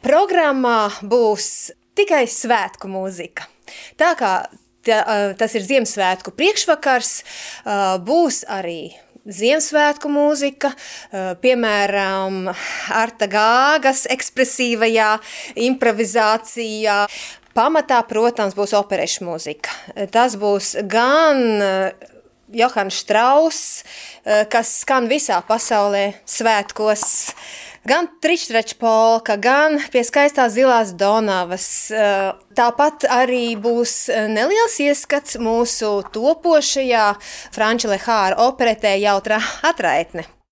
Programmā būs tikai svētku mūzika. Tā kā tas ir Ziemassvētku priekšvakars, būs arī Ziemassvētku mūzika, piemēram, Arta Gāgas ekspresīvajā improvizācijā. Pamatā, protams, būs operešu mūzika. Tas būs gan Johans Strauss, kas skan visā pasaulē svētkos, gan Trištrača polka, gan Pie skaistās zilās Donavas. Tāpat arī būs neliels ieskats mūsu topošajā Franča Lehāra operetē Jautrā atraitne.